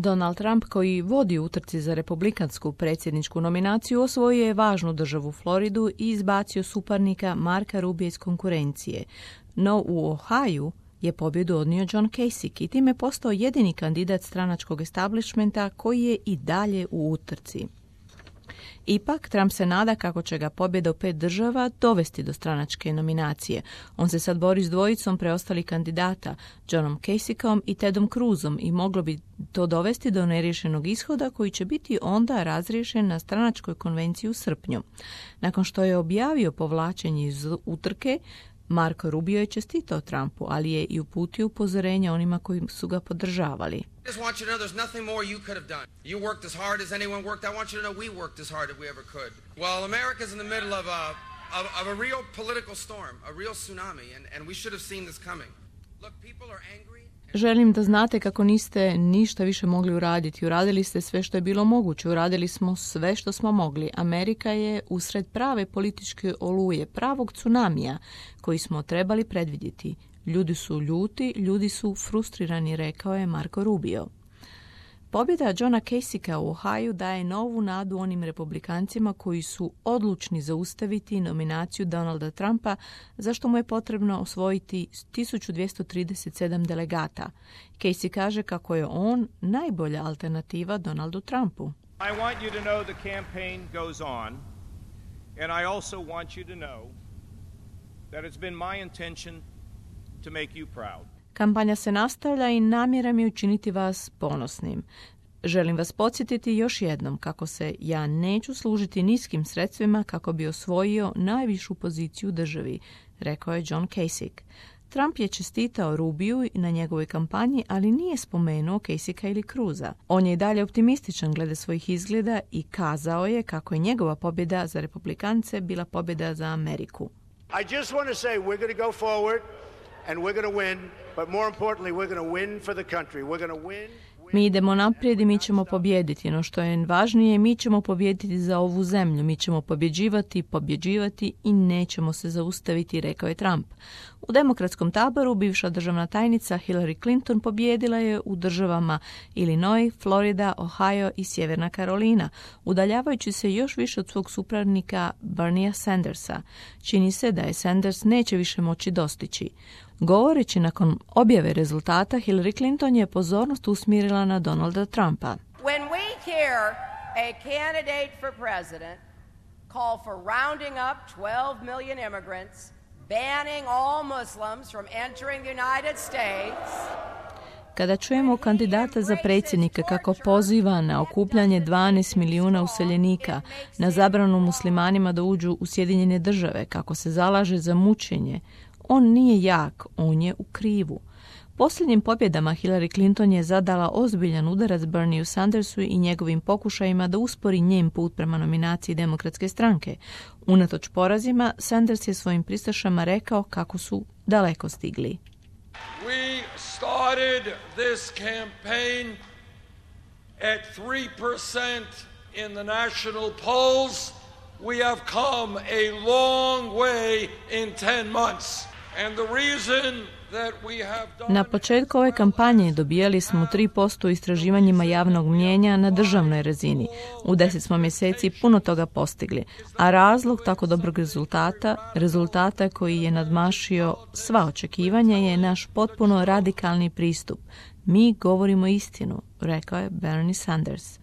Donald Trump, koji vodi u utrci za republikansku predsjedničku nominaciju, osvojio je važnu državu Floridu i izbacio suparnika Marka Rubija iz konkurencije. No u Ohaju je pobjedu odnio John Kasich i time postao jedini kandidat stranačkog establishmenta koji je i dalje u utrci. Ipak, Trump se nada kako će ga pobjeda u 5 država dovesti do stranačke nominacije. On se sad bori s dvojicom preostalih kandidata, Johnom Kasichom i Tedom Cruzom, i moglo bi to dovesti do neriješenog ishoda koji će biti onda razriješen na stranačkoj konvenciji u srpnju. Nakon što je objavio povlačenje iz utrke, Marco Rubio je čestitao Trumpu, ali je i uputio upozorenja onima koji su ga podržavali. I just want you to know there's nothing more you could have done. You worked as hard as anyone worked. I want you to know we worked as hard as we ever could. Well, America's in the middle of a real political storm, a real tsunami, and we should have seen this coming. Look, people are angry. Želim da znate kako niste ništa više mogli uraditi. Uradili ste sve što je bilo moguće. Uradili smo sve što smo mogli. Amerika je usred prave političke oluje, pravog tsunamija koji smo trebali predvidjeti. Ljudi su ljuti, ljudi su frustrirani, rekao je Marco Rubio. Pobjeda Johna Kasicha u Ohaju daje novu nadu onim republikancima koji su odlučni zaustaviti nominaciju Donalda Trumpa, za što mu je potrebno osvojiti 1237 delegata. Kasich kaže kako je on najbolja alternativa Donaldu Trumpu. I want you to know the campaign goes on, and I also want you to know that it's been my intention to make you proud. Kampanja se nastavlja i namjera mi je učiniti vas ponosnim. Želim vas podsjetiti još jednom kako se ja neću služiti niskim sredstvima kako bi osvojio najvišu poziciju u državi, rekao je John Kasich. Trump je čestitao Rubiju na njegovoj kampanji, ali nije spomenuo Kasicha ili Cruza. On je i dalje optimističan glede svojih izgleda i kazao je kako je njegova pobjeda za republikance bila pobjeda za Ameriku. I just want to say we're going to go forward and we're going to win, but more importantly we're going to win for the country. We're going to win. Mi idemo naprijed i mi ćemo pobijediti. No što je važnije, mi ćemo pobijediti za ovu zemlju. Mi ćemo pobjeđivati i nećemo se zaustaviti, rekao je Trump. U demokratskom taboru bivša državna tajnica Hillary Clinton pobijedila je u državama Illinois, Florida, Ohio i Sjeverna Karolina, udaljavajući se još više od svog suparnika Berniea Sandersa. Čini se da je Sanders neće više moći dostići. Govoreći nakon objave rezultata, Hillary Clinton je pozornost usmjerila na Donalda Trumpa. When we hear a candidate for president call for rounding up 12 million immigrants, banning all Muslims from entering the United States, kada čujemo kandidata za predsjednika kako poziva na okupljanje 12 milijuna useljenika, na zabranu muslimanima da uđu u Sjedinjene države, kako se zalaže za mučenje, on nije jak, on je u krivu. Posljednjim pobjedama Hillary Clinton je zadala ozbiljan udarac Bernieu Sandersu i njegovim pokušajima da uspori njen put prema nominaciji Demokratske stranke. Unatoč porazima, Sanders je svojim pristašama rekao kako su daleko stigli. We started this campaign at 3% in the national polls. We have come a long way in 10 months. And the reason that we have done... Na početku ove kampanje dobijali smo 3% u istraživanjima javnog mnijenja na državnoj razini. U 10 smo mjeseci puno toga postigli. A razlog tako dobrog rezultata koji je nadmašio sva očekivanja, je naš potpuno radikalni pristup. Mi govorimo istinu, rekao je Bernie Sanders.